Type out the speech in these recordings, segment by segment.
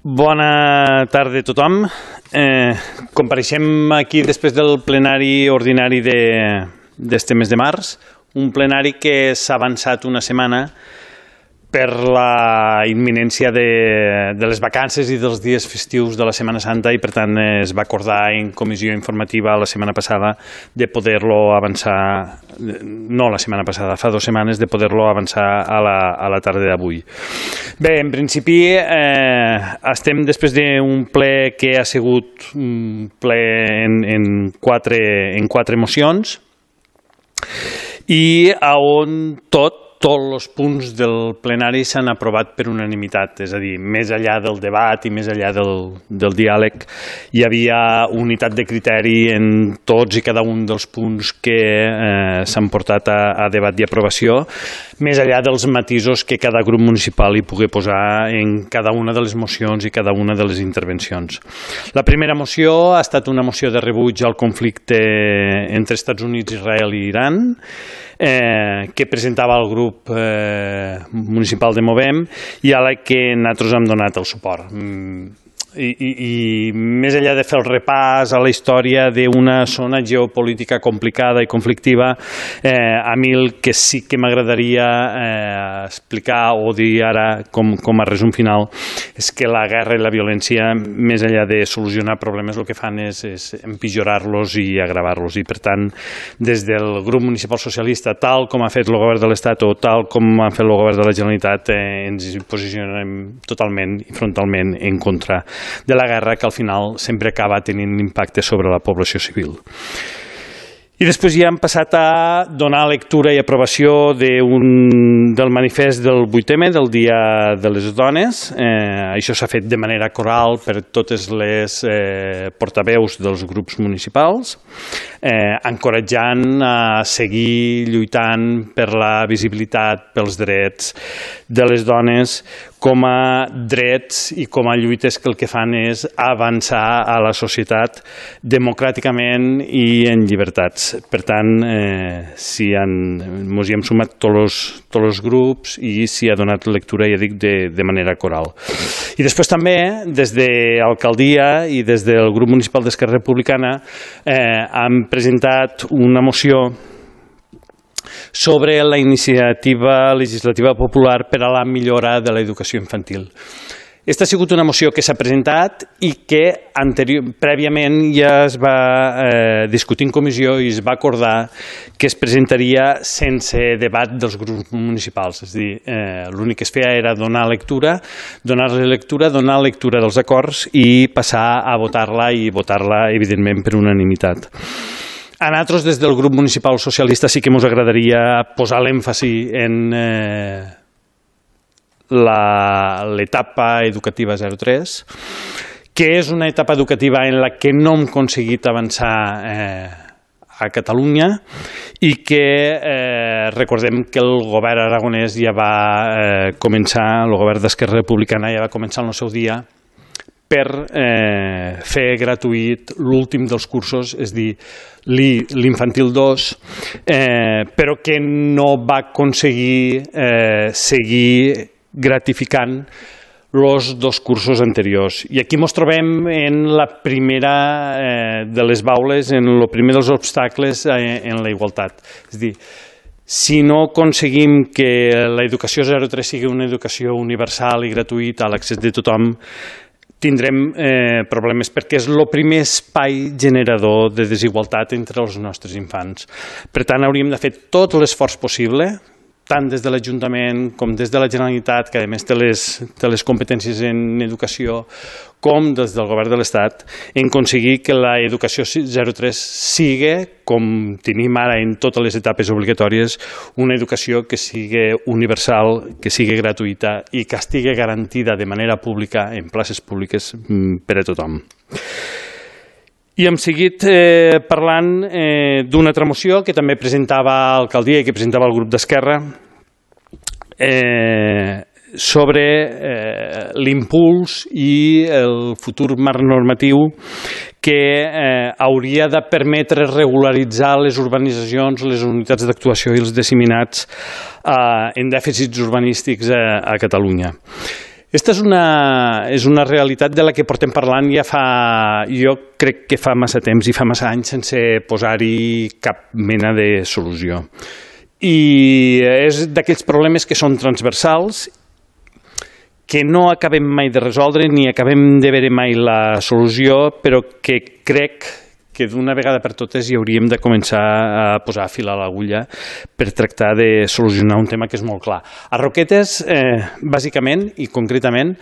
Bona tarda a tothom. Compareixem aquí després del plenari ordinari d'este mes de març, un plenari que s'ha avançat una setmana per la imminència de les vacances i dels dies festius de la Setmana Santa i per tant es va acordar en comissió informativa la setmana passada de poder-lo avançar, no la setmana passada, fa 2 setmanes, de poder-lo avançar a la tarda d'avui. Bé, en principi estem després d'un ple que ha sigut un ple en quatre mocions i on tots els punts del plenari s'han aprovat per unanimitat, és a dir, més enllà del debat i més enllà del diàleg, hi havia unitat de criteri en tots i cada un dels punts que s'han portat a debat i aprovació, més enllà dels matisos que cada grup municipal hi pugui posar en cada una de les mocions i cada una de les intervencions. La primera moció ha estat una moció de rebuig al conflicte entre Estats Units, Israel i Iran, que presentava el grup municipal de Movem i a la que nosaltres hem donat el suport. I més enllà de fer el repàs a la història d'una zona geopolítica complicada i conflictiva, a mi el que sí que m'agradaria explicar o dir ara com a resum final és que la guerra i la violència, més enllà de solucionar problemes, el que fan és empitjorar-los i agravar-los. I per tant, des del grup municipal socialista, tal com ha fet el govern de l'Estat o tal com ha fet el govern de la Generalitat, ens posicionem totalment i frontalment en contra de la guerra, que al final sempre acaba tenint impacte sobre la població civil. I després ja hem passat a donar lectura i aprovació del manifest del 8M, del Dia de les Dones. Això s'ha fet de manera coral per totes les portaveus dels grups municipals, encoratjant a seguir lluitant per la visibilitat, pels drets de les dones com a drets i com a lluites que el que fan és avançar a la societat democràticament i en llibertats. Per tant, ens hi hem sumat tots els grups i s'hi ha donat lectura, ja dic, de manera coral. I després també, des de l'alcaldia i des del grup municipal d'Esquerra Republicana, hem presentat una moció sobre la iniciativa legislativa popular per a la millora de l'educació infantil. Aquesta ha sigut una moció que s'ha presentat i que prèviament ja es va discutir en comissió i es va acordar que es presentaria sense debat dels grups municipals. És a dir, l'únic que es feia era donar lectura dels acords i passar a votar-la i votar-la, evidentment, per unanimitat. A nosaltres, des del grup municipal socialista, sí que ens agradaria posar l'èmfasi en l'etapa educativa 0-3, que és una etapa educativa en la que no hem aconseguit avançar a Catalunya i que recordem que el govern aragonès ja va començar, el govern d'Esquerra Republicana ja va començar en el seu dia per fer gratuït l'últim dels cursos, és a dir, l'infantil 2, però que no va aconseguir seguir gratificant els 2 cursos anteriors. I aquí ens trobem en la primera de les baules, en el primer dels obstacles en la igualtat. És a dir, si no aconseguim que l'educació 0-3 sigui una educació universal i gratuïta a l'accés de tothom, tindrem problemes perquè és el primer espai generador de desigualtat entre els nostres infants. Per tant, hauríem de fer tot l'esforç possible, tant des de l'Ajuntament com des de la Generalitat, que a més té les competències en educació, com des del govern de l'Estat, en aconseguir que l'educació 0-3 sigui, com tenim ara en totes les etapes obligatòries, una educació que sigui universal, que sigui gratuïta i que estigui garantida de manera pública en places públiques per a tothom. I hem seguit parlant d'una altra moció que també presentava l'alcaldia i que presentava el grup d'Esquerra sobre l'impuls i el futur marc normatiu que hauria de permetre regularitzar les urbanitzacions, les unitats d'actuació i els disseminats en dèficits urbanístics a Catalunya. Aquesta és una realitat de la que portem parlant jo crec que fa massa temps i fa massa anys sense posar-hi cap mena de solució. I és d'aquells problemes que són transversals, que no acabem mai de resoldre ni acabem de veure mai la solució, però que crec que d'una vegada per totes hi hauríem de començar a posar fil a l'agulla per tractar de solucionar un tema que és molt clar. A Roquetes, bàsicament i concretament,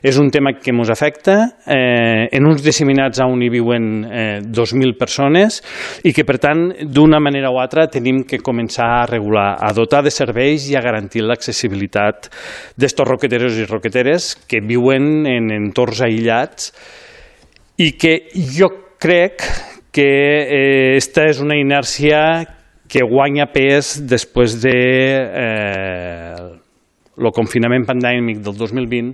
és un tema que ens afecta en uns disseminats on hi viuen 2.000 persones i que, per tant, d'una manera o altra tenim que començar a regular, a dotar de serveis i a garantir l'accessibilitat d'estos roqueteros i roqueteres que viuen en entorns aïllats i que jo crec que esta és una inèrcia que guanya pes després de el confinament pandèmic del 2020,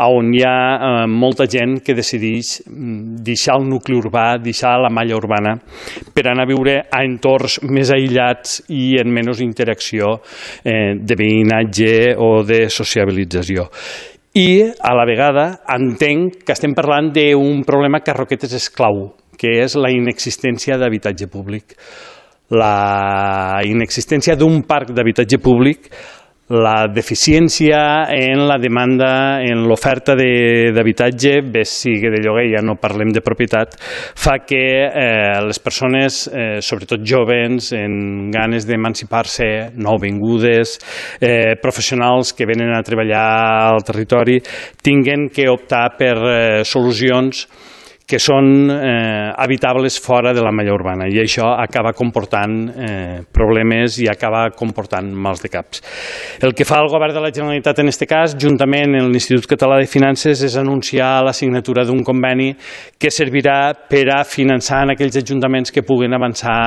on hi ha molta gent que decideix deixar el nucli urbà, deixar la malla urbana, per anar a viure a entorns més aïllats i en menys interacció de veïnatge o de sociabilització. I, a la vegada, entenc que estem parlant d'un problema que a Roquetes és clau, que és la inexistència d'habitatge públic. La inexistència d'un parc d'habitatge públic, la deficiència en la demanda, en l'oferta d'habitatge, bé sigui de lloguer, ja no parlem de propietat, fa que les persones, sobretot jóvens, amb ganes d'emancipar-se, nouvingudes, professionals que venen a treballar al territori, tinguen que optar per solucions que són habitables fora de la malla urbana, i això acaba comportant problemes i acaba comportant mals de caps. El que fa el govern de la Generalitat en aquest cas, juntament amb l'Institut Català de Finances, és anunciar la signatura d'un conveni que servirà per a finançar en aquells ajuntaments que puguen avançar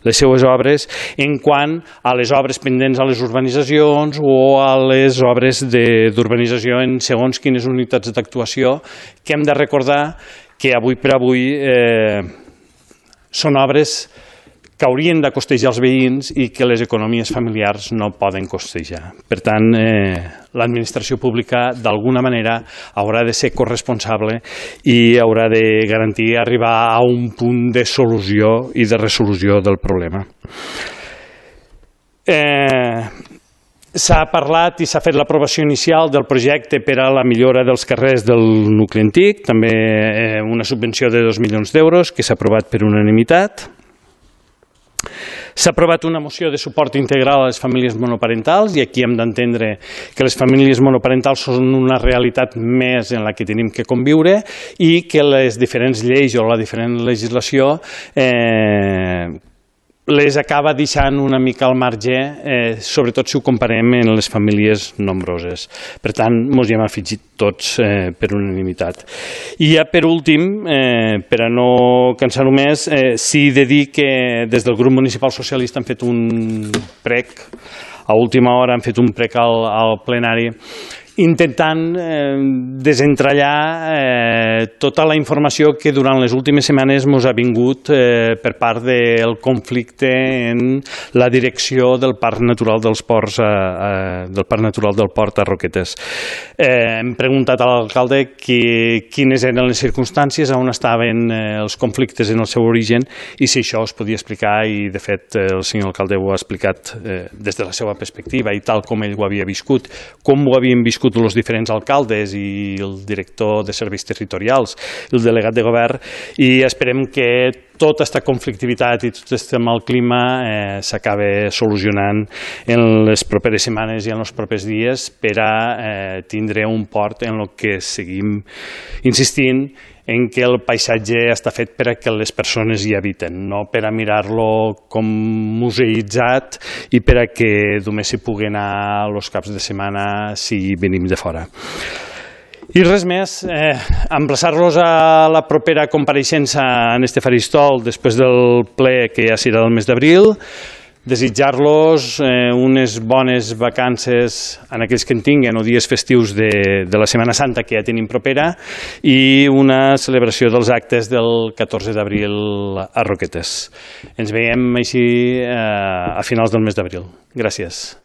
les seues obres en quant a les obres pendents a les urbanitzacions o a les obres d'urbanització en segons quines unitats d'actuació, que hem de recordar que avui per avui són obres que haurien de costejar els veïns i que les economies familiars no poden costejar. Per tant, l'administració pública d'alguna manera haurà de ser corresponsable i haurà de garantir arribar a un punt de solució i de resolució del problema. S'ha parlat i s'ha fet l'aprovació inicial del projecte per a la millora dels carrers del nucli antic, també una subvenció de 2 milions d'euros que s'ha aprovat per unanimitat. S'ha aprovat una moció de suport integral a les famílies monoparentals i aquí hem d'entendre que les famílies monoparentals són una realitat més en la que tenim que conviure i que les diferents lleis o la diferent legislació les acaba deixant una mica al marge, sobretot si ho comparem amb les famílies nombroses. Per tant, ens hi hem afegit tots per unanimitat. I ja per últim, per a no cansar-ho més, sí de dir que des del grup municipal socialista han fet un prec, a última hora han fet un prec al plenari, intentant desentrallar tota la informació que durant les últimes setmanes ens ha vingut per part del conflicte en la direcció del Parc Natural del Port a Roquetes. Hem preguntat a l'alcalde quines eren les circumstàncies, on estaven els conflictes en el seu origen i si això es podia explicar, i de fet el senyor alcalde ho ha explicat des de la seva perspectiva i tal com ell ho havia viscut, com ho havien viscut els diferents alcaldes i el director de serveis territorials, el delegat de govern, i esperem que tota aquesta conflictivitat i tot aquest mal clima s'acabi solucionant en les properes setmanes i en els propers dies per a tindre un port en el que seguim insistint en què el paisatge està fet per a que les persones hi habiten, no per a mirar-lo com museïtzat i per a que només s'hi pugui anar els caps de setmana si venim de fora. I res més, emplaçar-los a la propera compareixença en este faristol després del ple que ja serà del mes d'abril, desitjar-los unes bones vacances en aquells que en tinguen o dies festius de la Setmana Santa que ja tenim propera i una celebració dels actes del 14 d'abril a Roquetes. Ens veiem així a finals del mes d'abril. Gràcies.